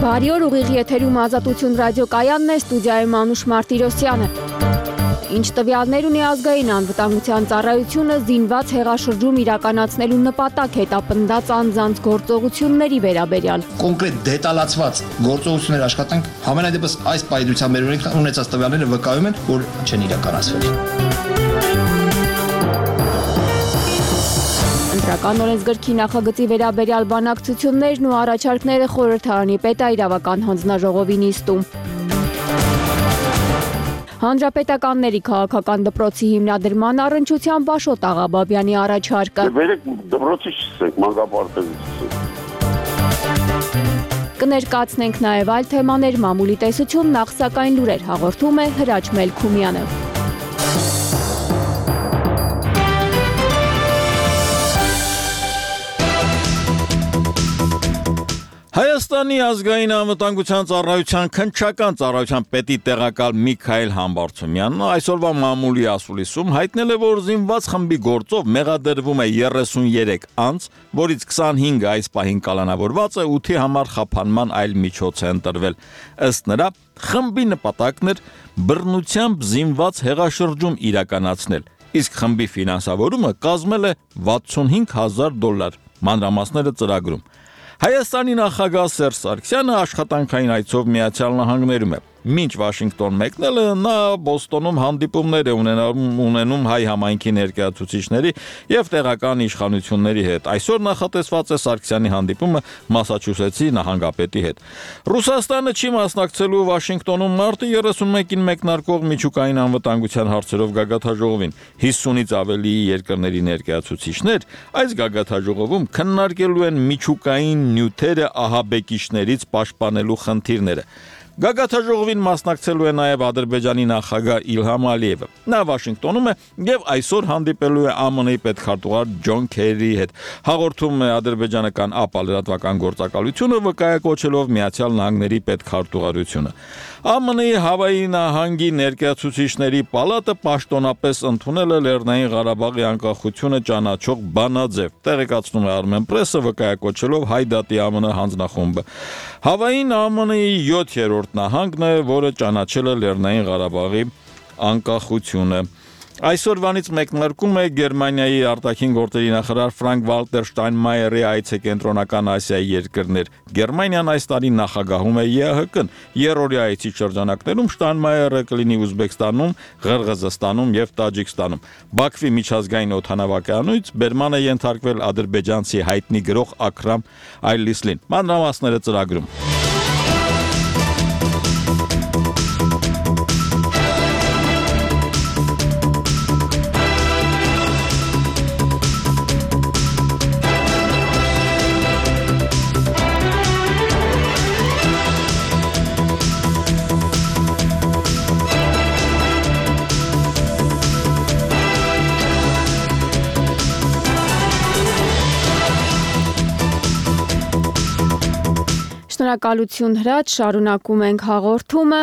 Բարի օր, ուղիղ եթերում Ազատություն ռադիոկայանն է, ստուդիայում Անուշ Մարտիրոսյանը։ Ինչ տվյալներ ունի ազգային անվտանգության ծառայությունը զինված հեղաշրջում իրականացնելու նպատակ հետապնդած անձանց գործողությունների վերաբերյալ։ Կոնկրետ դետալացված գործողություններ աշխատանք համենայն դեպս այս պայծրությամբ մեր ունեցած տվյալները վկայում են, որ չեն իրականացվել։ Ընտրական օրենսգրքի նախագծի վերաբերյալ բանակցություններն ու առաջարկները խորհրդարանի պետաիրավական հանձնաժողովի նիստում։ Հանրապետականների քաղաքական դպրոցի հիմնադրման առընչությամբ Աշոտ Աղաբաբյանի առաջարկը։ Վերեք դպրոցի չսեք, մանկապարտեզի Կներկայացնենք նաև այլ թեմաներ, մամուլի տեսություն, նախ սակայն լուրեր հաղորդում է Հրաչ Մելքումյանը։ Հայաստանի ազգային անվտանգության ծառայության քննչական ծառայության պետի տեղակալ Միքայել Համբարձումյանն այսօրվա մամուլի ասուլիսում հայտնել է, որ զինված խմբի գործով մեղադրվում է 33 անձ, որից 25-ը այս պահին կալանավորված է, 8-ի համար խափանման այլ միջոց է ընտրվել։ Ըստ նրա, խմբի նպատակն էր բռնությամբ զինված հեղաշրջում իրականացնել, իսկ խմբի ֆինանսավորումը կազմել է $65,000։ Մանրամասները ծրագրում։ Հայաստանի նախագահ Սերժ Սարգսյանը աշխատանքային այցով Միացյալ Նահանգներում է։ Մինչ Վաշինգտոն մեկնելը նա Բոստոնում հանդիպումներ է ունենում հայ համայնքի ներկայացուցիչների եւ տեղական իշխանությունների հետ։ Այսօր նախատեսված է Սարգսյանի հանդիպումը Մասաչուսեթսի նահանգապետի հետ։ Ռուսաստանը չի մասնակցելու Վաշինգտոնում մարտի 31-ին մեկնարկող միջուկային անվտանգության հարցերով գագաթաժողովին։ 50-ից ավելի երկրների ներկայացուցիչներ այս գագաթաժողովում քննարկելու են միջուկային նյութերը ահաբեկիչներից պաշտպանելու խնդիրները։ Գագաթաժողովին մասնակցելու է նաև Ադրբեջանի նախագահ Իլհամ Ալիևը։ Նա Վաշինգտոնում է եւ այսօր հանդիպելու է ԱՄՆ-ի պետքարտուղար Ջոն Քերիի հետ։ Հաղորդում է ադրբեջանական ԱՊԱ լրատվական գործակալությունը վկայակոչելով Միացյալ Նահանգների պետքարտուղարությունը։ ԱՄՆ-ի Հավայի նահանգի ներկայացուցիչների պալատը պաշտոնապես ընդունել է Լեռնային Ղարաբաղի անկախությունը ճանաչող բանաձև, տեղեկացնում է Armen Press-ը վկայակոչելով Հայ դատի ԱՄՆ հանձնախումբը։ Հավային ԱՄՆ-ի 7-րդ նահանգն է, որը ճանաչել է Լեռնային Ղարաբաղի անկախությունը։ Այսօրվանից մեկնարկում է Գերմանիայի արտաքին գործերի նախարար Ֆրանկ Վալտեր Շտայնմայերի այցը կենտրոնական Ասիայի երկրներ։ Գերմանիան այս տարի նախագահում է ԵԱՀԿ-ն։ Երրորդյա այցի շրջանակներում Շտայնմայերը կլինի Ուզբեկստանում, Ղրղզստանում եւ Տաջիկստանում։ Բաքվի միջազգային օդանավակայանից բերման է ենթարկվել ադրբեջանցի հայտնի գրող Աքրամ Այլիսլին։ Մանրամասները ծրագրում։ Շնորհակալություն Հրաչ, շարունակում ենք հաղորդումը։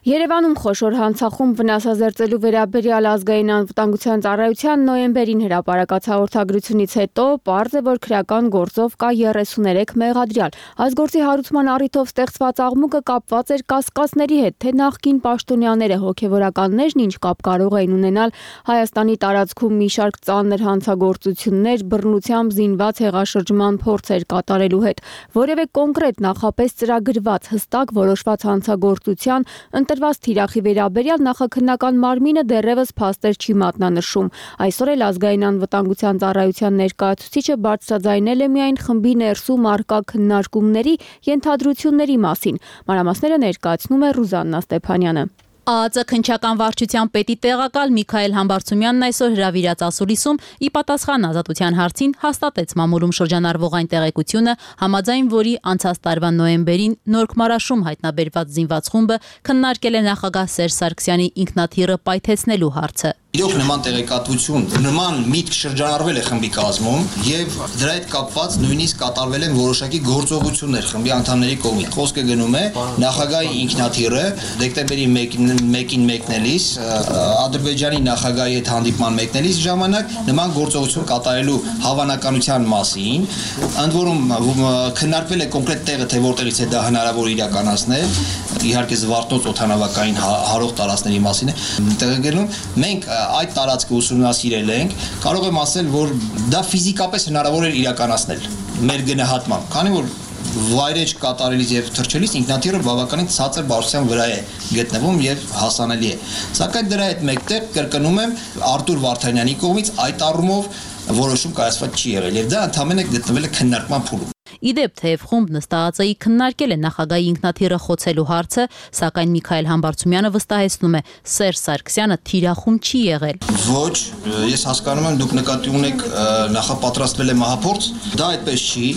Երևանում խոշոր հանցախումբ վնասազերծելու վերաբերյալ ազգային անվտանգության ծառայության նոյեմբերին հրապարակած հաղորդագրությունից հետո պարզ է, որ քրեական գործով կա 33 մեղադրյալ։ Այս գործի հարուցման առիթով ստեղծված աղմուկը կապված էր կասկածների հետ, թե նախկին պաշտոնյաները հոգևորականներն ինչ կապ կարող էին ունենալ Հայաստանի տարածքում մի շարք ծանր հանցագործություններ, բռնությամբ զինված հեղաշրջման փորձեր կատարելու հետ։ Որևէ կոնկրետ նախապես ծրագրված հստակ որոշված հանցագործության ընտրված թիրախի վերաբերյալ նախաքննական մարմինը դեռևս փաստեր չի մատնանշում։ Այսօր էլ ազգային անվտանգության ծառայության ներկայացուցիչը բարձրաձայնել է միայն խմբի ներսում առկա քննարկումների ենթադրությունների մասին։ Մանրամասները ներկայացնում է Ռուզաննա Ստեփանյանը։ ԱԱԾ քննչական վարչության պետի տեղակալ Միքայել Համբարձումյանն այսօր հրավիրած ասուլիսում ի պատասխան ազատության հարցին հաստատեց մամուլում շրջանառվող այն տեղեկությունը, համաձայն որի անցած տարվա նոյեմբերին Նորք-Մարաշում հայտնաբերված զինված խումբը քննարկել է նախագահ Սերժ Սարգսյանի ինքնաթիռը պայթեցնելու հարցը։ Իրոք նման տեղեկատվություն, նման միտք շրջանառվել է խմբի կազմում եւ դրա հետ կապված նույնիսկ կատարվել են որոշակի գործողություններ խմբի անդամների կողմից։ Խոսքը գնում է նախագահի ինքնաթիռը դեկտեմբերի 1-ին մեկնելիս Ադրբեջանի նախագահի հետ հանդիպման մեկնելիս ժամանակ նման գործողություն կատարելու հավանականության մասին, ընդ որում քննարկվել է կոնկրետ տեղը, թե որտեղից է դա հնարավոր իրականացնել, իհարկե Զվարթնոց օդանավակային հարող տարածքների մասին է տեղեկանում։ Մենք այդ տարածքը ուսումնասիրել ենք, կարող եմ ասել, որ դա ֆիզիկապես հնարավոր է իրականացնել մեր գնահատմամբ, քանի որ վայրեջ կատարելիս եւ թռչելիս ինքնաթիռը բավականին ցածր բարձրության վրա է գտնվում եւ հասանելի է։ Սակայն դրա հետ մեկտեղ կրկնում եմ Արտուր Վարդանյանի կողմից այդ առումով որոշում կայացված չի եղել եւ դա ընդհանրապես գտնվել է քննարկման փուլում։ Իդեպ թեև խումբ նստածայի քննարկել է նախագահի ինքնաթիռը խոցելու հարցը, սակայն Միքայել Համբարձումյանը վստահեցնում է, Սերժ Սարգսյանը թիրախում չի եղել։ Ոչ, ես հասկանում եմ, դուք նկատի ունեք նախապատրաստվել է մահափորձ, դա այդպես չի։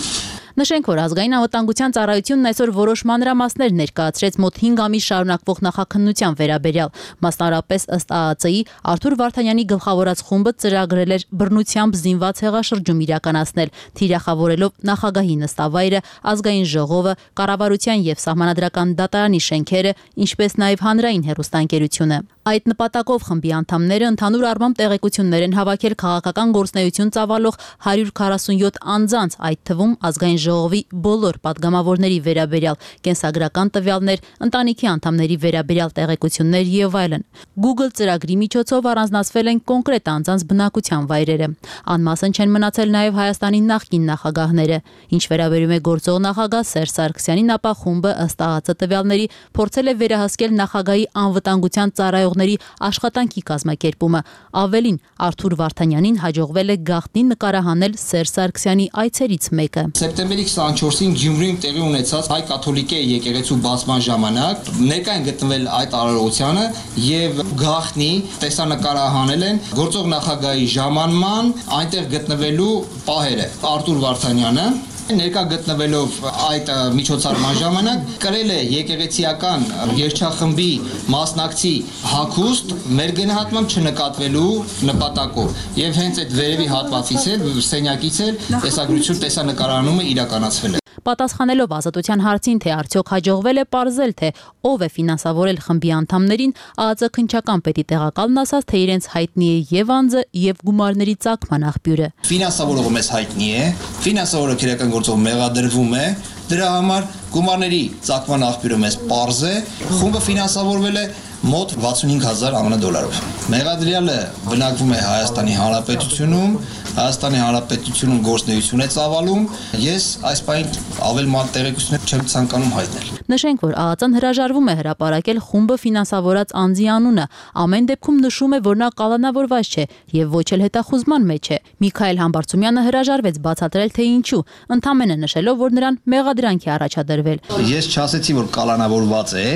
Նշենք, որ ազգային անվտանգության ծառայությունն այսօր որոշ մանրամասներ ներկայացրեց մոտ 5 ամիս շարունակվող նախաքննության վերաբերյալ։ Մասնարարպես ըստ ԱԱԾ-ի Արտուր Վարդանյանի գլխավորած խումբը ծրագրել էր բռնությամբ զինված հեղաշրջում իրականացնել, թիրախավորելով նախագահի նստավայրը, ազգային ժողովը, կառավարության եւ սահմանադրական դատարանի շենքերը, ինչպես նաեւ հանրային հեռուստաընկերությունը։ Այդ նպատակով խմբի անդամները ընդհանուր առմամբ տեղեկություններ են հավաքել քաղաքական գործունեություն ծավալող 147 անձանց, այդ թվում ազգային ժողովի բոլոր падգամավորների վերաբերյալ կենսագրական տվյալներ, ընտանիքի անդամների վերաբերյալ տեղեկություններ եւ այլն։ Google ծրագրի միջոցով առանձնացվել են կոնկրետ անձանց բնակության վայրերը։ Անմասն չեն մնացել նաեւ Հայաստանի նախկին նախագահները։ Ինչ վերաբերում է գործող նախագահ Սերժ Սարգսյանին, ապա խումբը ըստ ԱԱԾ տվյալների փորձել է վերահսկել նախագահի անվտանգության ծառայողների աշխատանքի կազմակերպումը։ Ավելին, Արտուր Վարդանյանին հաջողվել է գաղտնի նկարահանել Սերժ Սարգսյանի այցերից մեկը։ Սեպտեմբերի 24-ին Գյումրիում տեղի ունեցած հայ կաթոլիկե եկեղեցու բացման ժամանակ ներկա են գտնվել այդ արարողությանը եւ գաղտնի տեսանկարահանել են գործող նախագահի ժամանման այնտեղ գտնվելու պահերը։ Արտուր Վարդանյանը ներկա գտնվելով այդ միջոցառման ժամանակ կրել է եկեղեցիական երգչախմբի մասնակցի հագուստ մեր գնահատմամբ չնկատվելու նպատակով եւ հենց այդ վերևի հատվածից էլ սենյակից էլ տեսագրություն տեսանկարահանումը իրականացվել է։ Պատասխանելով Ազատության հարցին, թե արդյոք հաջողվել է պարզել, թե ով է ֆինանսավորել խմբի անդամներին, ԱԱԾ քննչական պետի տեղակալն ասաց, թե իրենց հայտնի է եւ անձը եւ գումարների ծագման աղբյուրը։ Ֆինանսավորողը մեզ հայտնի է, ֆինանսավորողը քրեական գործով մեղադրվում է, դրա համար գումարների ծագման աղբյուրը մեզ պարզ է, խումբը ֆինանսավորվել է մոտ 65,000 ԱՄՆ դոլարով։ Մեղադրյալը բնակվում է Հայաստանի Հանրապետությունում, Հայաստանի Հանրապետությունում գործունեություն է ծավալում, ես այս պահին ավել ման տեղեկություններ չեմ ցանկանում հայտնել։ Նշենք, որ ԱԱԾ-ն հրաժարվում է հրապարակել խումբը ֆինանսավորած անձի անունը, ամեն դեպքում նշում է, որ նա կալանավորված չէ եւ ոչ էլ հետախուզման մեջ է։ Միքայել Համբարձումյանը հրաժարվեց բացատրել, թե ինչու, ընդամենը նշելով, որ նրան մեղադրանք է առաջադրվել։ Ես չասեցի, որ կալանավորված է,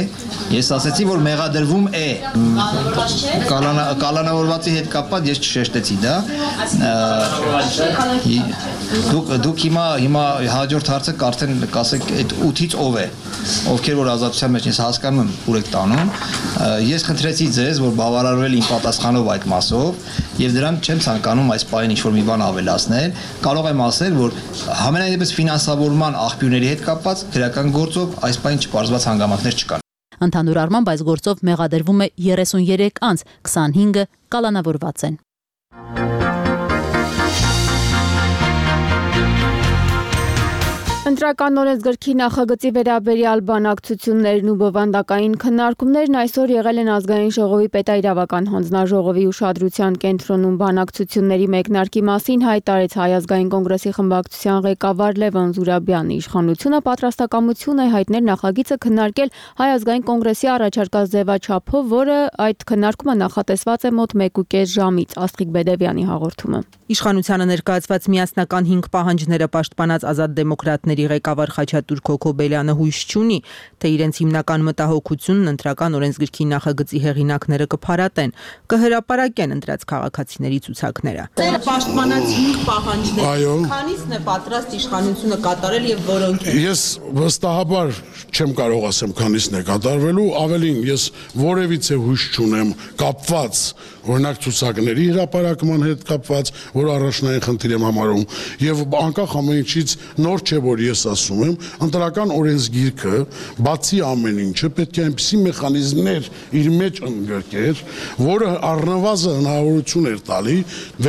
ես ասեցի, որ մեղադրվում է։ Կալանավորվածի հետ կապված ես չշեշտեցի դա։ Դուք հիմա հաջորդ հարցը արդեն կասեք այդ 8-ից ով է, ովքեր որ ազատության մեջ ես հասկանում եմ ուր եք տանում, ես խնդրեցի ձեզ, որ բավարարվել իմ պատասխանով այդ մասով եւ դրան չեմ ցանկանում այս պահին ինչ-որ մի բան ավելացնել, կարող եմ ասել, որ համենայնդեպս ֆինանսավորման աղբյուրների հետ կապված քրեական գործով այս պահին չպարզված հանգամանքներ չկան։ Ընդհանուր առմամբ այս գործով մեղադրվում է 33 անձ, 25-ը կալանավորված են։ Ընտրական օրենսգրքի նախագծի վերաբերյալ բանակցություններն ու բովանդակային քննարկումներն այսօր եղել են ազգային ժողովի պետաիրավական հանձնաժողովի ուշադրության կենտրոնում բանակցությունների մեկնարկի մասին հայտարարեց Հայ ազգային կոնգրեսի խմբակցության ղեկավար Լևոն Զուրաբյանը։ Իշխանությունը պատրաստակամություն է հայտնել նախագիծը քննարկել Հայ ազգային կոնգրեսի առաջարկած ձևաչափով, որը այդ քննարկումը նախատեսված է մոտ 1.5 ժամից։ Աստղիկ Բեդևյանի հաղորդումը։ Իշխանությանը ներկայացված միասնական 5 պահանջները պաշտպանած ազատ դեմոկրատների կուսակցությունների ղեկավար Խաչատուր Քոքոբելյանը հույս չունի, թե իրենց հիմնական մտահոգությունն ընտրական օրենսգրքի նախագծի հեղինակները կփարատեն, կհրապարակեն ընտրած քաղաքացիների ցուցակները։ Ձեր պաշտպանած 5 պահանջներ, քանիսն է պատրաստ իշխանությունը կատարել եւ որոնք են։ Ես վստահաբար չեմ կարող ասեմ քանիսն է կատարվելու, ավելին ես որևիցե հույս չունեմ կապված օրինակ ցուցակների հրապարակման հետ կապված, որ առաջնային խնդիր եմ համարում, եւ անկախ ամեն ինչից նոր չէ, որ ես ասում եմ, ընտրական օրենսգիրքը բացի ամեն ինչը պետք է այնպիսի մեխանիզմներ իր մեջ ընդգրկեր, որը առնվազն հնարավորություն էր տալի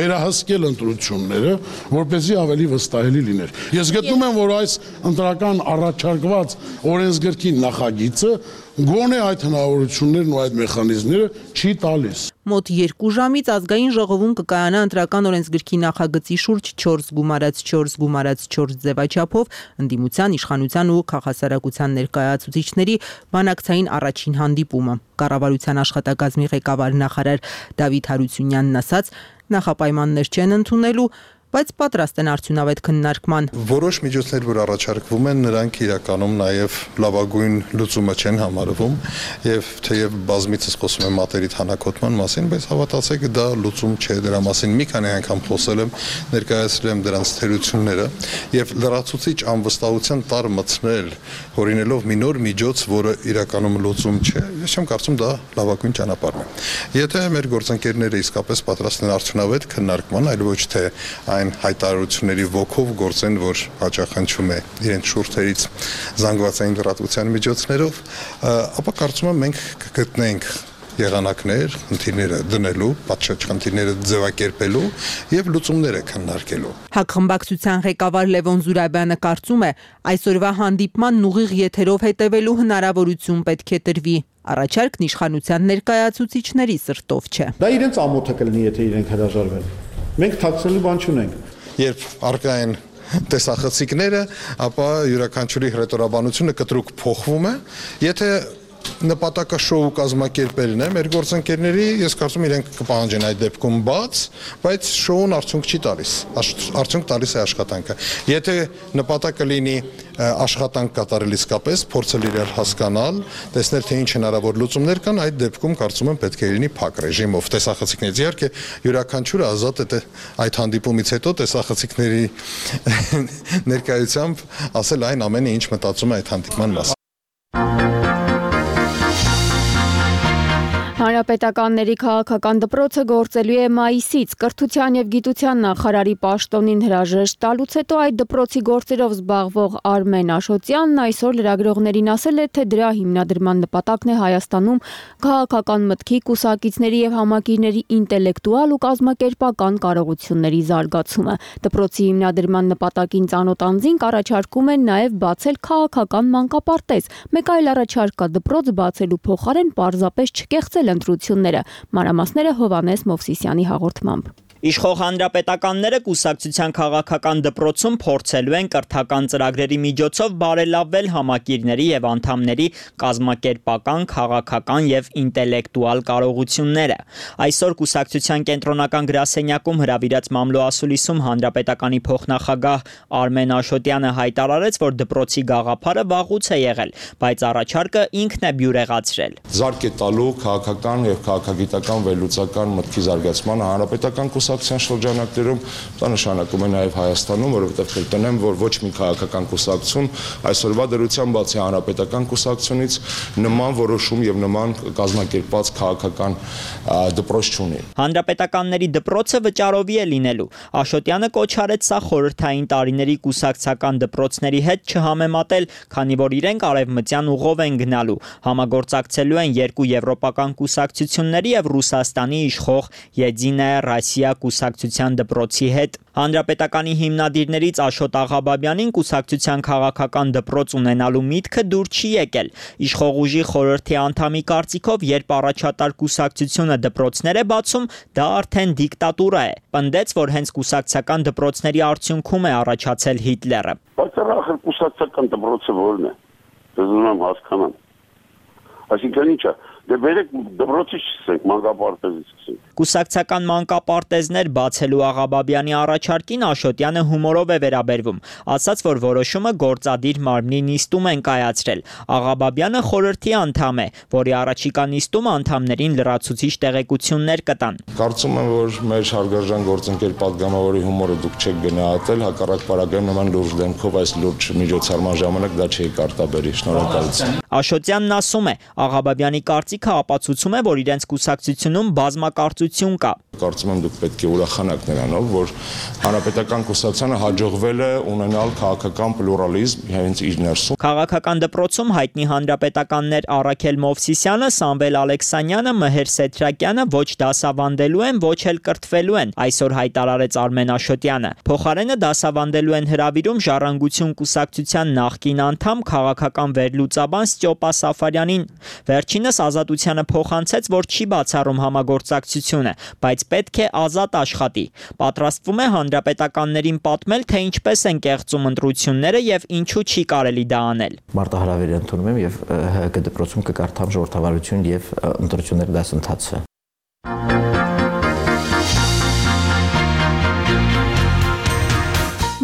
վերահսկել ընտրությունները, որպեսզի ավելի վստահելի լիներ։ Ես գտնում եմ, որ այս ընտրական առաջարկված օրենսգրքի նախագիծը գոնե այդ հնարավորություններն ու այդ մեխանիզմները չի տալիս։ Մոտ 2 ժամից ազգային ժողովում կկայանա ընտրական օրենսգրքի նախագծի շուրջ 4x4 ձևաչափով ընդդիմության, իշխանության ու քաղաքասարակության ներկայացուցիչների բանակցային առաջին հանդիպումը։ Կառավարության աշխատակազմի ղեկավար նախարար Դավիթ Հարությունյանն ասաց, նախապայմաններ չեն ընդունելու, բայց պատրաստ են արդյունավետ քննարկման։ Որոշ միջոցներ, որ առաջարկվում են, նրանք իրականում նաև լավագույն լուծումը չեն համարվում, եւ թեև բազմիցս խոսում եմ մատերի թանաքոտման մասին, բայց հավատացեք, դա լուծում չէ, դրա մասին մի քանի անգամ խոսել եմ, ներկայացրել եմ դրանց թերությունները եւ լրացուցիչ անվստահության տար մտցնել, հորինելով մի նոր միջոց, որը իրականում լուծում չէ, ես չեմ կարծում դա լավագույն ճանապարհն է։ Եթե մեր գործընկերները իսկապես պատրաստ են արդյունավետ քննարկման, այլ ոչ թե այն հայտարարությունների ոգով գործեն, որ հաճախանչում է իրենց շուրթերից զանգվածային լրատվության միջոցներով, ապա կարծում եմ մենք կգտնենք եղանակներ, խնդիրները դնելու, պատշաճ խնդիրները ձևակերպելու եւ լուծումները քննարկելու։ Հակխմբակցության ղեկավար Լևոն Զուրաբյանը կարծում է, այսօրվա հանդիպման ուղիղ եթերով հետևելու հնարավորություն պետք է տրվի։ Առաջարկն իշխանության ներկայացուցիչների սրտով չէ։ Դա իրենց ամոթը կլինի, եթե իրենք հրաժարվեն։ Մենք թաքցնելու բան չունենք։ Երբ արկա են տեսախցիկները, ապա յուրաքանչյուրի հռետորաբանությունը կտրուկ փոխվում է։ Եթե նպատակը շոու կազմակերպելն է, մեր գործընկերների, ես կարծում իրենք կպահանջեն այդ դեպքում բաց, բայց շոուն արդյունք չի տալիս, արդյունք տալիս է աշխատանքը։ Եթե նպատակը լինի աշխատանք կատարել իսկապես, փորձել իրար հասկանալ, տեսնել թե ինչ հնարավոր լուծումներ կան, այդ դեպքում կարծում եմ պետք է լինի փակ ռեժիմով տեսախցիկներից։ Իհարկե յուրաքանչյուրը ազատ է այդ հանդիպումից հետո տեսախցիկների ներկայությամբ ասել այն ամենը, ինչ մտածում է այդ հանդիպման մասին։ Հանրապետականների քաղաքական դպրոցը գործելու է մայիսից։ Կրթության եւ գիտության նախարարի պաշտոնին հրաժեշտ տալուց հետո այդ դպրոցի գործերով զբաղվող Արմեն Աշոտյանն այսօր լրագրողներին ասել է, թե դրա հիմնադրման նպատակն է Հայաստանում քաղաքական մտքի, կուսակիցների եւ համակիրների ինտելեկտուալ ու կազմակերպական կարողությունների զարգացումը։ Դպրոցի հիմնադրման նպատակին ծանոթ անձին առաջարկում են նաեւ բացել քաղաքական մանկապարտեզ։ Մեկ այլ առաջարկ կա դպրոց բացելու փոխարեն պարզապես չկեղծել ընտրությունները։ Մանրամասները Հովանես Մովսիսյանի հաղորդմամբ։ Իշխող հանրապետականները կուսակցության քաղաքական դպրոցում փորձելու են կրթական ծրագրերի միջոցով բարելավել համակիրների եւ անդամների կազմակերպական, քաղաքական եւ ինտելեկտուալ կարողությունները։ Այսօր կուսակցության կենտրոնական գրասենյակում հրավիրած մամլոասուլիսում հանրապետականի փոխնախագահ Արմեն Աշոտյանը հայտարարեց, որ դպրոցի գաղափարը վաղուց է եղել, բայց առաջարկը ինքն է բյուրեղացրել։ Զարգ է տալու քաղաքական եւ քաղաքագիտական վերլուծական մտքի զարգացման հանրապետական կուսակցության շրջանակներում, դա նշանակում է նաև Հայաստանում, որովհետև կրկնեմ, որ ոչ մի քաղաքական կուսակցություն այսօրվա դրությամբ բացի հանրապետական կուսակցությունից նման որոշում եւ նման կազմակերպված քաղաքական դպրոց չունի։ Հանրապետականների դպրոցը վճարովի է լինելու։ Աշոտյանը կոչ արեց սա խորհրդային տարիների կուսակցական դպրոցների հետ չհամեմատել, քանի որ իրենք արևմտյան ուղով են գնալու։ Համագործակցելու են երկու եվրոպական կուսակցությունների եւ Ռուսաստանի իշխող Եդինայա Ռոսիա կուսակցության դպրոցի հետ։ Հանրապետականի հիմնադիրներից Աշոտ Աղաբաբյանին կուսակցության քաղաքական դպրոց ունենալու միտքը դուր չի եկել։ Իշխող ուժի խորհրդի անդամի կարծիքով, երբ առաջատար կուսակցությունը դպրոցներ է բացում, դա արդեն դիկտատուրա է։ Պնդեց, որ հենց կուսակցական դպրոցների արդյունքում է առաջացել Հիտլերը։ Բայց ախր կուսակցական դպրոցը ո՞րն է։ Ուզում եմ հասկանամ։ Այսինքն ի՞նչ է։ Դե վերեք դպրոցի սկսենք, մանկապարտեզից սկսենք։ Կուսակցական մանկապարտեզներ բացելու Աղաբաբյանի առաջարկին Աշոտյանը հումորով է վերաբերվում, ասաց, որ որոշումը գործադիր մարմնի նիստում են կայացրել։ Աղաբաբյանը խորհրդի անդամ է, որի առաջիկա նիստում անդամներին լրացուցիչ տեղեկություններ կտան։ Կարծում եմ, որ մեր հարգարժան գործընկեր падգամավորի հումորը դուք չեք գնահատել, հակառակ պարագայում նման լուրջ դեմքով այս լուրջ միջոցառման ժամանակ դա չէի կարտաբերի։ Շնորհակալություն։ Աշոտյանն ասում է, Աղաբաբյանի կարծիքը ապացուցում է, որ իրենց կուսակցությունում բազմակարծություն կա։ Կարծում եմ դուք պետք է ուրախանաք նրանով, որ հանրապետական կուսակցությանը հաջողվել է ունենալ քաղաքական պլուրալիզմ հենց իր ներսում։ Քաղաքական դպրոցում հայտնի հանրապետականներ Առաքել Մովսիսյանը, Սամվել Ալեքսանյանը, Մհեր Սեթրակյանը ոչ դասավանդելու են, ոչ էլ կրթվելու են, այսօր հայտարարեց Արմեն Աշոտյանը։ Փոխարենը դասավանդելու են հրավիրում Ժառանգություն կուսակցության նախկին անդամ քաղաքական վերլուծաբան Ստյոպա Սաֆարյանին։ Վերջինս Ազատությանը փոխանցեց, որ չի բացառում համագործակցությունը, բայց պետք է ազատ աշխատի։ Պատրաստվում է հանրապետականներին պատմել, թե ինչպես են կեղծում ընտրությունները եւ ինչու չի կարելի դա անել։ Մարտահրավեր ընդունում եմ եւ ՀՀԿ դպրոցում կկարդամ ժողովրդավարություն եւ ընտրություններ դասընթացը։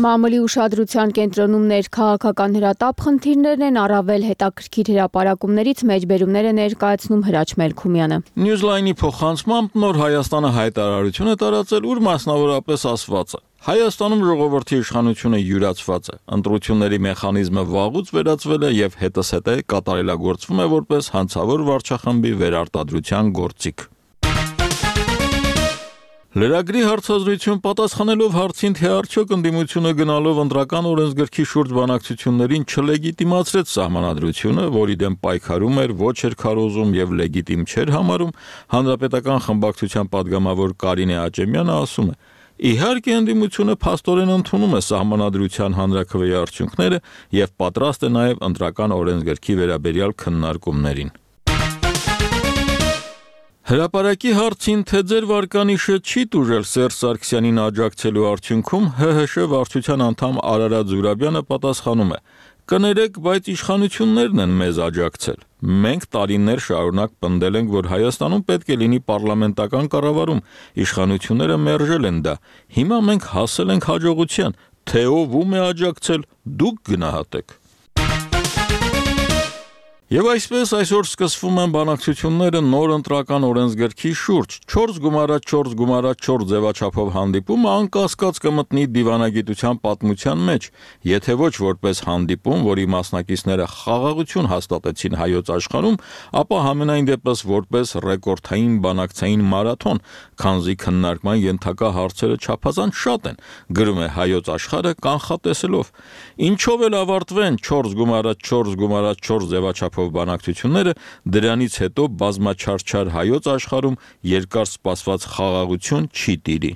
Մամուլի ուշադրության կենտրոնում ներքաղաքական հրատապ խնդիրներն են, առավել հետաքրքիր հրապարակումներից մեջբերումներ է ներկայացնում Հրաչ Մելքումյանը։ Newsline-ի փոխանցմամբ Նոր Հայաստանը հայտարարություն է տարածել, ուր մասնավորապես ասված է. Հայաստանում ժողովրդի իշխանությունը յուրացված է, ընտրությունների մեխանիզմը վաղուց վերածվել է եւ հետզհետե կատարելագործվում է որպես հանցավոր վարչախմբի վերարտադրության գործիք։ Լրագրի հարցազրույցում պատասխանելով հարցին, թե արդյոք ընդդիմությունը գնալով ընտրական օրենսգրքի շուրջ բանակցություններին չլեգիտիմացրեց սահմանադրությունը, որի դեմ պայքարում էր, ոչ էր քարոզում եւ լեգիտիմ չէր համարում, հանրապետական խմբակցության падգամավոր Կարինե Աճեմյանը ասում է. Իհարկե ընդդիմությունը փաստորեն ընդունում է սահմանադրության հանրաքվեի արդյունքները եւ պատրաստ է նաեւ ընտրական օրենսգրքի վերաբերյալ քննարկումներին։ Հրապարակի հարցին, թե ձեր վարկանիշը չի տուժել Սերժ Սարգսյանին աջակցելու արդյունքում, ՀՀՇ վարչության անդամ Արարատ Զուրաբյանը պատասխանում է. Կներեք, բայց իշխանություններն են մեզ աջակցել։ Մենք տարիներ շարունակ պնդել ենք, որ Հայաստանում պետք է լինի պարլամենտական կառավարում, իշխանությունները մերժել են դա։ Հիմա մենք հասել ենք հաջողության, թե ով ում է աջակցել, դուք գնահատեք։ Եվ այսպես այսօր սկսվում են բանակցությունները նոր ընտրական օրենսգրքի շուրջ։ 4x4x4 ձևաչափով հանդիպումը անկասկած կմտնի դիվանագիտության պատմության մեջ, եթե ոչ որպես հանդիպում, որի մասնակիցները խաղաղություն հաստատեցին հայոց աշխարհում, ապա համենայն դեպս որպես ռեկորդային բանակցային մարաթոն, քանզի քննարկման ենթակա հարցերը չափազանց շատ են, գրում է Հայոց աշխարհը կանխատեսելով։ Ինչով էլ ավարտվեն 4x4x4 ձևաչափով բանակցությունները, դրանից հետո բազմաչարչար հայոց աշխարհում երկար սպասված խաղաղություն չի տիրի։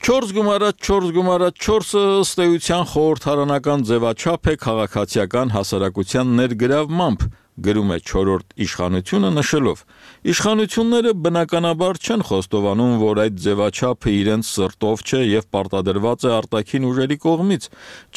4x4x4-ը ըստ էության խորհրդարանական ձևաչափ է քաղաքացիական հասարակության ներգրավմամբ, գրում է Չորրորդ իշխանությունը նշելով. Իշխանությունները բնականաբար չեն խոստովանում, որ այդ ձևաչափը իրենց սրտով չէ եւ պարտադրված է արտաքին ուժերի կողմից։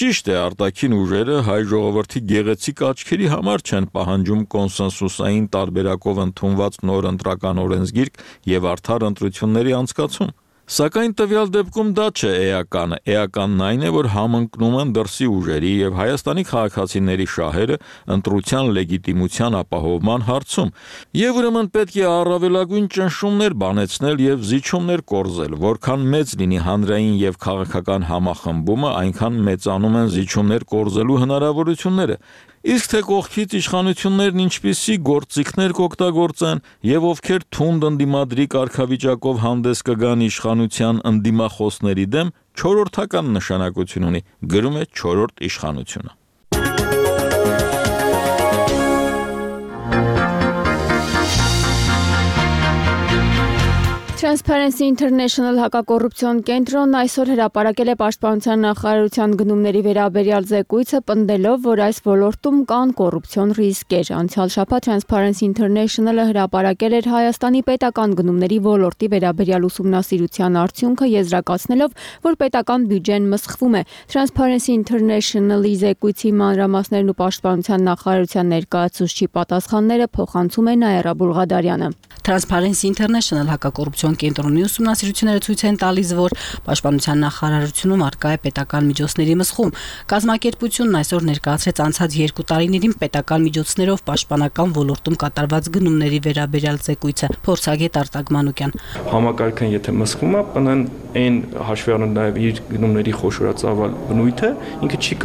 Ճիշտ է, արտաքին ուժերը հայ ժողովրդի գեղեցիկ աչքերի համար չեն պահանջում կոնսենսուսային տարբերակով ընդունված նոր ընտրական օրենսգիրք եւ արդար ընտրությունների անցկացում։ Սակայն տվյալ դեպքում դա չէ էականը։ Էականն այն է, որ համընկնում են դրսի ուժերի եւ Հայաստանի քաղաքացիների շահերը ընտրության լեգիտիմության ապահովման հարցում։ Եվ ուրեմն պետք է առավելագույն ճնշումներ բանեցնել եւ զիջումներ կորզել, որքան մեծ լինի հանրային եւ քաղաքական համախմբումը, այնքան մեծանում են զիջումներ կորզելու հնարավորությունները։ Իսկ թե կողքից իշխանություններն ինչպիսի գործիքներ կօգտագործեն եւ ովքեր թունդ ընդդիմադրի կարգավիճակով հանդես կգան իշխանության ընդդիմախոսների դեմ, չորրորդական նշանակություն ունի, գրում է Չորրորդ իշխանությունը։ Transparency International հակակոռուպցիոն կենտրոնն այսօր հրապարակել է Պաշտպանության նախարարության գնումների վերաբերյալ զեկույցը, պնդելով, որ այս ոլորտում կան կոռուպցիոն ռիսկեր։ Անցյալ շաբաթ Transparency International-ը հրապարակել էր Հայաստանի պետական գնումների ոլորտի վերաբերյալ ուսումնասիրության արդյունքը, եզրակացնելով, որ պետական բյուջեն մսխվում է։ Transparency International-ի զեկույցի մանրամասներն ու Պաշտպանության նախարարության ներկայացուցչի պատասխանները փոխանցում է Նաիրա Բուլղադարյանը։ Transparency International հակակոռուպցիոն կենտրոնի ուսումնասիրությունները ցույց են տալիս, որ Պաշտպանության նախարարությունում արկա է պետական միջոցների մսխում։ Կազմակերպությունն այսօր ներկայացրեց անցած 2 տարիներին պետական միջոցներով պաշտպանական ոլորտում կատարված գնումների վերաբերյալ զեկույցը։ Փորձագետ Արտակ Մանուկյան։ Համակարգն եթե մսխում է, ՊՆ-ն այն հաշվի առնելով նաև իր գնումների խոշորացավալ բնույթը, ինքը չի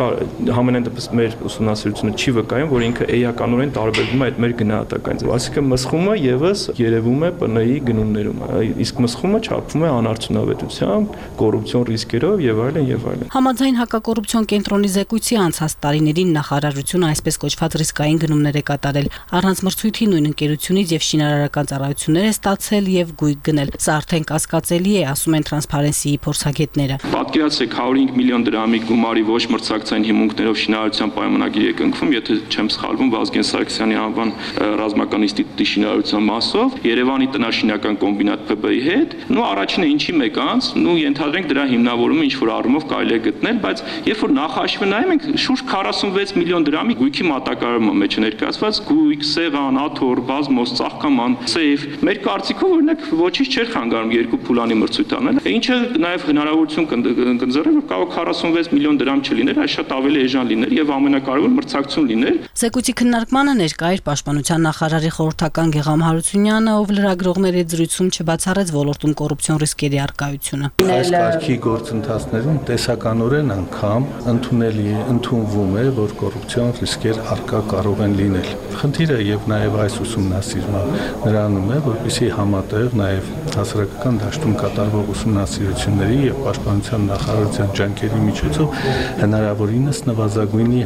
համենայն դեպս մեր ուսումնասիրությունը չի վկայում, որ ինքը էականորեն տարբերվում է այդ մեր գնահատականից։ Այսինքն մսխումը եւս երևում է ՊՆ-ի գնումներում, իսկ մսխումը չափվում է անարդյունավետությամբ, կոռուպցիոն ռիսկերով եւ այլն եւ այլն։ Համաձայն հակակոռուպցիոն կենտրոնի զեկույցի անցած տարիներին նախարարությունը այսպես կոչված ռիսկային գնումներ է կատարել, առանց մրցույթի նույն ընկերությունից եւ շինարարական ծառայություններ է ստացել եւ գույք գնել։ Սա արդեն կասկածելի է, ասում են Transparency-ի փորձագետները։ Պատկերացրեք 105 միլիոն դրամի գումարի ոչ մրցակցային հիմունքներով շինարարության պայմանագիր է կնքվում, եթե չեմ սխալվում, Վազգեն Սարգսյանի անվան ռազմական ինստիտուտի շինարարության մասով Երևանի տնաշինական կոմբինատ ՓԲ-ի հետ, առաջինը ինչի մեկ անց, ենթադրենք դրա հիմնավորումը ինչ որ առումով կարելի է գտնել, բայց երբ որ նախաշվը նայում ենք, շուրջ 46 միլիոն դրամի գույքի մատակարարումը մեջ ներկայացված, գույք, սեղան, աթոռ, բազմոց, ծաղկաման, սեյֆ, մեր կարծիքով օրինակ ոչինչ չէր խանգարում 2 փուլանի մրցույթ անել, ինչը նաև հնարավորություն կընձեռեր, որ կարող 46 միլիոն դրամ չլիներ, այլ շատ ավելի էժան լիներ եւ ամենակարևորը մրցակցություն լիներ։ Զեկույցի քննարկմանը ներկա էր Պաշտպանության նախարարի խորհրդական Գեգամ Հարությունյանը, ով լրագրողների զրույցում չբացառեց ոլորտում կոռուպցիոն ռիսկերի առկայությունը։ Այս կարգի գործընթացներում տեսականորեն անգամ ընդունվում է, որ կոռուպցիոն ռիսկեր առկա կարող են լինել։ Խնդիրը եւ նաեւ այս ուսումնասիրումը նրանում է, որպեսզի համատեղ նաեւ հասարակական դաշտում կատարվող ուսումնասիրությունների եւ Պաշտպանության նախարարության ջանքերի միջոցով հնարավորինս նվազագույնի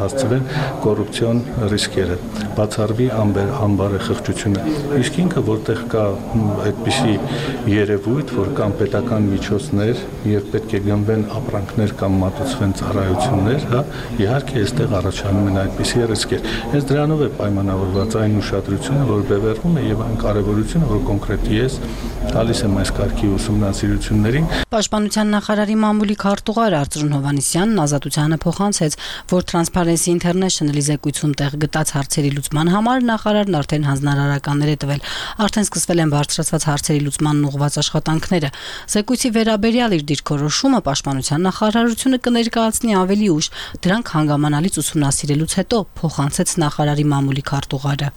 հասցվեն կոռուպցիոն ռիսկերը, բացառվի անբարեխղճությունը։ Իսկ ինքը որտեղ կա այդպիսի երևույթ, որ կան պետական միջոցներ եւ պետք է գնվեն ապրանքներ կամ մատուցվեն ծառայություններ, իհարկե այստեղ առաջանում են այդպիսի ռիսկեր։ Հենց դրանով է պայմանավորված այն ուշադրությունը, որ բևեռվում է եւ այն կարեւորությունը, որ կոնկրետ ես տալիս եմ այս կարգի ուսումնասիրություններին։ Պաշտպանության նախարարի մամուլի քարտուղար Արծրուն Հովհաննիսյանն Ազատությանը փոխանցեց, որ Transparency International-ի զեկույցում տեղ գտած հարցերի լուծման համար նախարարն արդեն հանձնարարականներ է տվել։ Արդեն սկսվել են բարձրացված հարցերի լուծմանն ուղղված աշխատանքները։ Զեկույցի վերաբերյալ իր դիրքորոշումը Պաշտպանության նախարարությունը կներկայացնի ավելի ուշ, դրանք հանգամանալից ուսումնասիրելուց հետո, փոխանցեց նախարարի մամուլի քարտուղարը։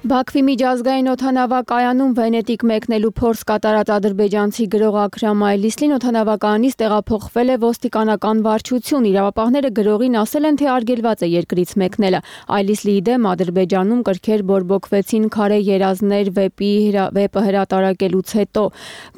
Բաքվի միջազգային օդանավակայանում Վենետիկ մեկնելու փորձ կատարած ադրբեջանցի գրող Աքրամ Այլիսլին օդանավակայանից տեղափոխվել է ոստիկանական վարչություն։ Իրավապահները գրողին ասել են, թե արգելված է երկրից մեկնելը։ Այլիսլիի դեմ Ադրբեջանում կրքեր բորբոքվեցին քարե երազներ վեպը հրատարակելուց հետո։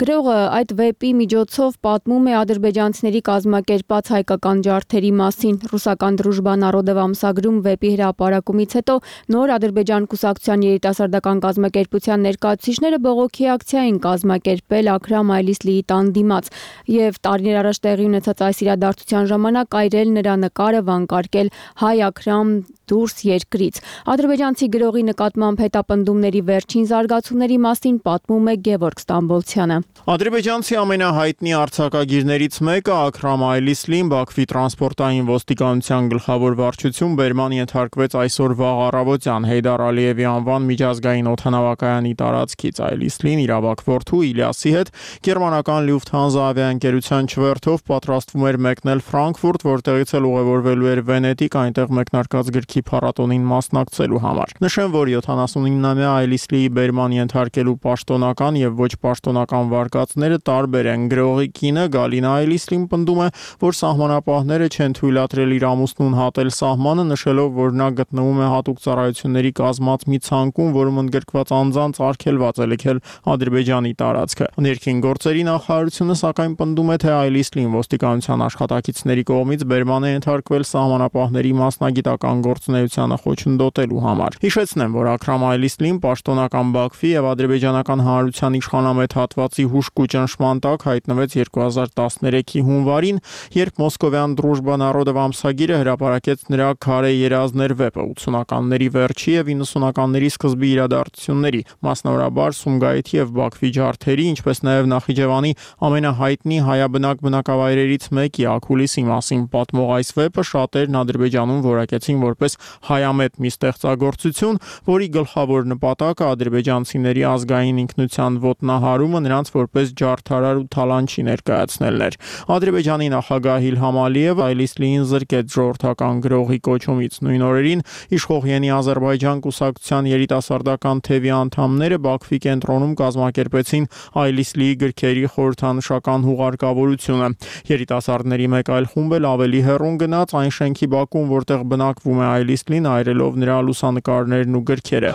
Գրողը այդ վեպի միջոցով պատմում է ադրբեջանցիների կազմակերպած հայկական ջարդերի մասին։ Ռուսական Դրուժբա Նարոդով ամսագրում վեպի հրապարակումից հետո նոր Ադրբեջան կուսակցության երիտասարդական կազմակերպության ներկայացուցիչները բողոքի ակցիա են կազմակերպել Աքրամ Այլիսլիի տան դիմաց եւ տարիներ առաջ տեղի ունեցած այս իրադարձության ժամանակ այրել նրա նկարը, վանկարկել «Հայ Աքրամ, դուրս երկրից»։ Ադրբեջանցի գրողի նկատմամբ հետապնդումների վերջին զարգացումների մասին պատմում է Գևորգ Ստամբոլցյանը։ Ադրբեջանցի ամենահայտնի արձակագիրներից մեկը Աքրամ Այլիսլին Բաքվի տրանսպորտային ոստիկանության գլխավոր վարչություն բերման ենթարկվեց այսօր վաղ առավոտյան Հեյդար Ալիևի անվան միջազգային օդանավակայանի տարածքից։ Այլիսլին իր ավագ որդու Իլյասի հետ գերմանական Lufthansa ավիաընկերության չվերթով պատրաստվում էր մեկնել Ֆրանկֆուրտ, որտեղից էլ ուղևորվելու էր Վենետիկ, այնտեղ մեկնարկած գրքի ջանքի փառատոնին մասնակցելու համար։ Նշեմ, որ 79-ամյա Այլիսլիի բերման ենթարկելու պաշտոնական եւ ոչ պաշտոնական վարկածները տարբեր են։ Գրողի կինը Գալինա Այլիսլին պնդում է, որ սահմանապահները չեն թույլատրել իր ամուսնուն հատել սահմանը, նշելով, որ նա գտնվում է հատուկ ծառայությունների կազմած մի ցանկում, որում ընդգրկված անձանց արգելված է լքել Ադրբեջանի տարածքը։ Ներքին գործերի նախարարությունը սակայն պնդում է, թե Այլիսլին ոստիկանության աշխատակիցների կողմից բերման է ենթարկվել սահմանապահների մասնագիտական գործունեությանը խոչընդոտելու համար։ Հիշեցնեմ, որ Աքրամ Այլիսլին պաշտոնական Բաքվի եւ ադրբեջանական հանրության իշխանամետ հատվածի հուժկու ճնշման տակ հայտնվեց 2013-ի հունվարին, երբ Մոսկովյան Դրուժբա Նարոդով ամսագիրը հրապարակեց նրա քարե երազներ վեպը 80-ականների վերջի եւ 90-ականների սկզբի իրադարձությունների, մասնավորաբար Սումգայիթի եւ Բաքվի ջարդերի, ինչպես նաեւ Նախիջևանի ամենահայտնի հայաբնակ բնակավայրերից մեկի Աքուլիսի մասին պատմող այս վեպը շատերն Ադրբեջանում որակեցին որպես հայամետ մի ստեղծագործություն, որի գլխավոր նպատակը ադրբեջանցիների ազգային ինքնության ոտնահարումը, նրանց որպես ջարդարար ու թալանչի ներկայացնելն էր։ Ադրբեջանի նախագահ Իլհամ Ալիևը Այլիսլիին զրկեց ժողովրդական գրողի կոչումից։ Նույն օրերին իշխող Յենի Ադրբեջան կուսակցության երիտասարդական թևի անդամները Բաքվի կենտրոնում կազմակերպեցին Այլիսլիի գրքերի խորհրդանշական հուղարկավորությունը։ Երիտասարդների մեկ այլ խումբ էլ ավելի հեռուն գնաց այն շենքի բակում, որտեղ բնակվում է Այլիսլին, այրելով նրա լուսանկարներն ու գրքերը։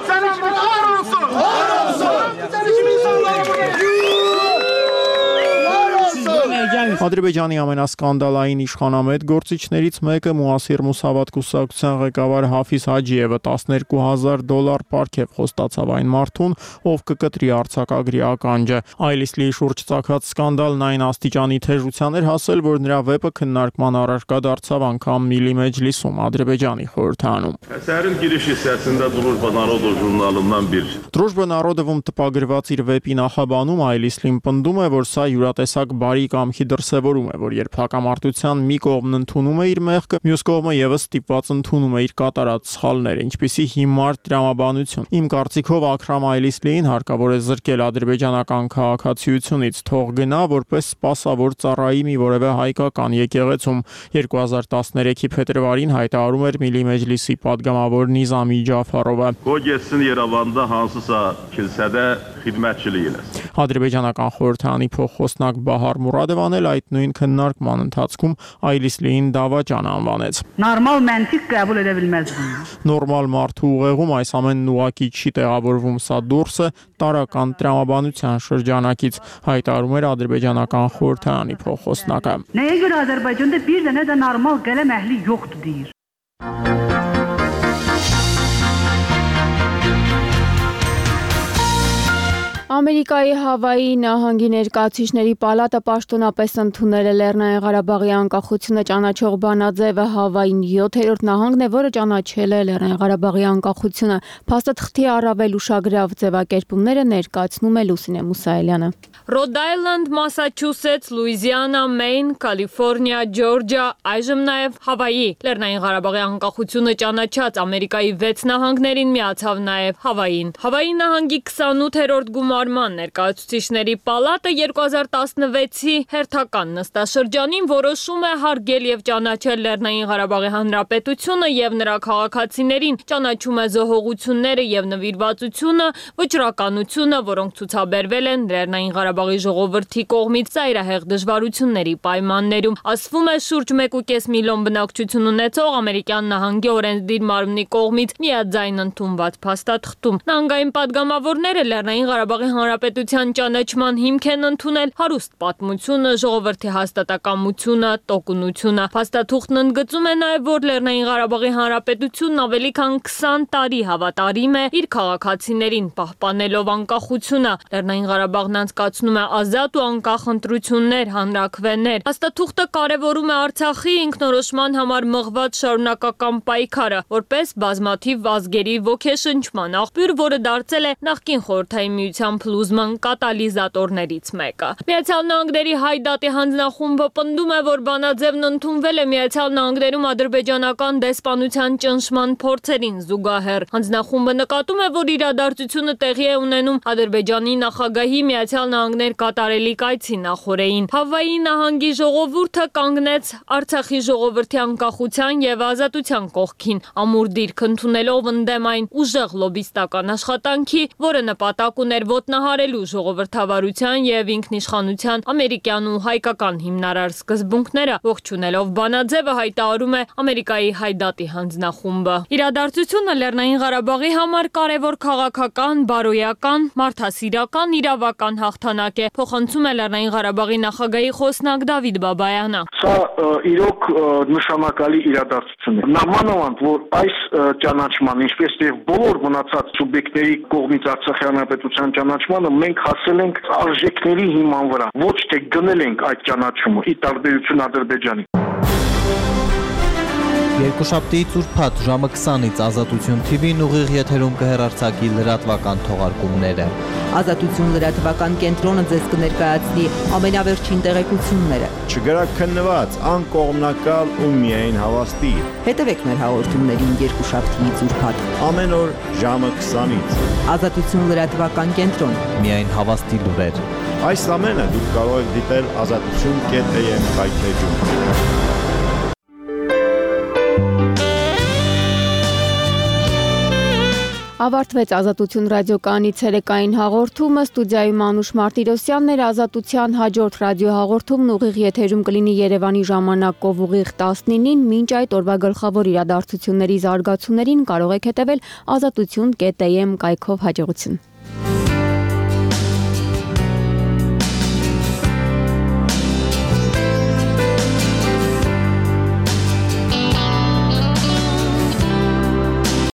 Ադրբեջանի ամենասկանդալային իշխանամետ գործիչներից մեկը Մուասիր Մուսավատ կուսակցության ղեկավար Հաֆիզ Հաջիևը $12,000 պարգև խոստացավ այն մարդուն, ով կկտրի արձակագրի ականջը։ Այլիսլիի շուրջ ծագած սկանդալն այն աստիճանի թեժության էր հասել, որ նրա վեպը քննարկման առարկա դարձավ անգամ Միլի Մեջլիսում, Ադրբեջանի խորհրդանում։ Əsərin giriş hissəsində Drujba Narodov jurnalından bir Drujba Narodov-ում տպագրված իր վեպի նախաբանում Այլիսլին պնդում է, որ սա յուրատեսակ բարի կամքի դրսևորում է, որ երբ հակամարտության մի կողմն ընդունում է իր մեղքը, մյուս կողմը եւս ստիպված ընդունում է իր կատարած սխալները, ինչպիսի հիմար տրամաբանություն։ Իմ կարծիքով Աքրամ Այլիսլիին հարկավոր է զրկել ադրբեջանական քաղաքացիությունից, թող գնա որպես սպասավոր ծառայի մի որևէ հայկական եկեղեցում։ 2013-ի փետրվարին հայտարարում էր Միլի Մեջլիսի падգամավոր Նիզամի Ջաֆարովը։ Գոյեցին Երևանında hansısa kilsədə xidmətçilik eləsin։ Ադրբեջանական խորհրդանի փոխխոսնակ Բահար Մուրադովան էլ այդ նույն քննարկման ընթացքում Այլիսլիին դավաճան անվանեց։ Նորմալ մենտիկ qəbul edə bilməz bunu։ Նորմալ մարդու ուղեղում այս ամենն ուղղակի չի տեղավորվում, սա դուրս է տարական տրամաբանության շրջանակից, հայտարարում էր ադրբեջանական խորհրդանի փոխխոսնակը։ Nəyə görə Azərbaycanda bir dənə də normal qələm əhli yoxdur deyir։ Ամերիկայի Հավայի նահանգի ներկայացուցիչների պալատը պաշտոնապես ընդունել է Լեռնային Ղարաբաղի անկախությունը ճանաչող բանաձևը։ Հավային 7-րդ նահանգն է, որը ճանաչել է Լեռնային Ղարաբաղի անկախությունը։ Փաստաթղթի առավել ուշագրավ ձևակերպումները ներկայացնում է Լուսինե Մուսայելյանը։ Ռոդ Այլանդ, Մասաչուսեթս, Լուիզիանա, Մեյն, Կալիֆոռնիա, Ջորջիա, այժմ նաև Հավայի։ Լեռնային Ղարաբաղի անկախությունը ճանաչած Ամերիկայի 6 նահանգներին միացավ նաև Հավային։ Հավայի նահանգի 28-րդ գումարման ներկայացուցիչների պալատը 2016-ի հերթական նստաշրջանին որոշում է հարգել եւ ճանաչել Լեռնային Ղարաբաղի Հանրապետությունը եւ նրա քաղաքացիներին, ճանաչում է զոհողությունները եւ նվիրվածությունը, վճռականությունը, որոնք ցուցաբերվել են Լեռնային Ղարաբաղի ժողովրդի կողմից ծայրահեղ դժվարությունների պայմաններում։ Ասվում է շուրջ 1.5 միլիոն բնակչություն ունեցող ամերիկյան նահանգի օրենսդիր մարմնի կողմից միաձայն ընդունված փաստաթղթում։ Նահանգային падգամավորները Լեռնային Ղարաբաղի Հանրապետության ճանաչման հիմք են ընդունել հարուստ պատմությունը, ժողովրդի հաստատակամությունը, տոկունությունը։ Փաստաթուղթն ընդգծում է նաև, որ Լեռնային Ղարաբաղի Հանրապետությունն ավելի քան 20 տարի հավատարիմ է իր քաղաքացիներին, պահպանելով անկախությունը։ Լեռնային Ղարաբաղն անցկացնում է ազատ ու անկախ ընտրություններ, հանրաքվեներ։ Փաստաթուղթը կարևորում է Արցախի ինքնորոշման համար մղված շարունակական պայքարը, որպես բազմաթիվ ազգերի ոգեշնչման աղբյուր, որը դարձել է նախկին Խորհրդային Միության փլուզման կատալիզատորներից մեկը։ Միացյալ Նահանգների Հայդատի հանձնախումբը պնդում է, որ բանաձևն ընդունվել է Միացյալ Նահանգներում ադրբեջանական դեսպանության ճնշման փորձերին զուգահեռ։ Հանձնախումբը նկատում է, որ իրադարձությունը տեղի է ունենում Ադրբեջանի նախագահի Միացյալ Նահանգներ կատարելիք այցի նախօրեին։ Հավայի նահանգի ժողովուրդը կանգնեց Արցախի ժողովրդի անկախության եւ ազատության կողքին, ամուր դիրք ընդունելով ընդդեմ այն ուժեղ լոբիստական աշխատանքի, որը նպատակ ուներ ոտնահարելու ժողովրդավարության եւ ինքնիշխանության ամերիկյան ու հայկական հիմնարար սկզբունքները, ողջունելով բանաձևը հայտարարում է Ամերիկայի Հայդատի հանձնախումբը։ Իրադարձությունը Լեռնային Ղարաբաղի համար կարևոր քաղաքական, բարոյական, մարդասիրական, իրավական հաղթանակ է, փոխանցում է Լեռնային Ղարաբաղի նախագահի խոսնակ Դավիթ Բաբայանը։ Սա իրոք նշանակալի իրադարձություն է։ Նամանավանդ, որ այս ճանաչման, ինչպես եւ բոլոր մնացած սուբյեկտների կողմից Արցախի հանրապետության ճանաչմանը մենք հասել ենք արժեքների հիման վրա, ոչ թե գնել ենք այդ ճանաչումը՝ ի տարբերություն Ադրբեջանի։ Երկուշաբթի ծուրփաթ ժամը 20-ից Ազատություն TV-ն ուղիղ եթերում կհեռարձակի լրատվական թողարկումները։ Ազատություն լրատվական կենտրոնը ձեզ կներկայացնի ամենավերջին տեղեկությունները։ Չգրաքննված, անկողմնակալ ու միայն հավաստի։ Հետևեք մեր հաղորդումներին երկուշաբթիից ուրբաթ։ Ամեն օր ժամը 20-ից։ Ազատություն լրատվական կենտրոն։ Միայն հավաստի լուրեր։ Այս ամենը դուք կարող եք դիտել azatutun.am կայքեջում։ Ավարտվեց Ազատություն ռադիոկայանի ցերեկային հաղորդումը, ստուդիայում Անուշ Մարտիրոսյանն էր, Ազատության հաջորդ ռադիոհաղորդումն ուղիղ եթերում կլինի Երևանի ժամանակով ուղիղ 19-ին, մինչ այդ օրվա գլխավոր իրադարձությունների զարգացումներին կարող եք հետևել azatutun.am կայքով։ Հաջողություն։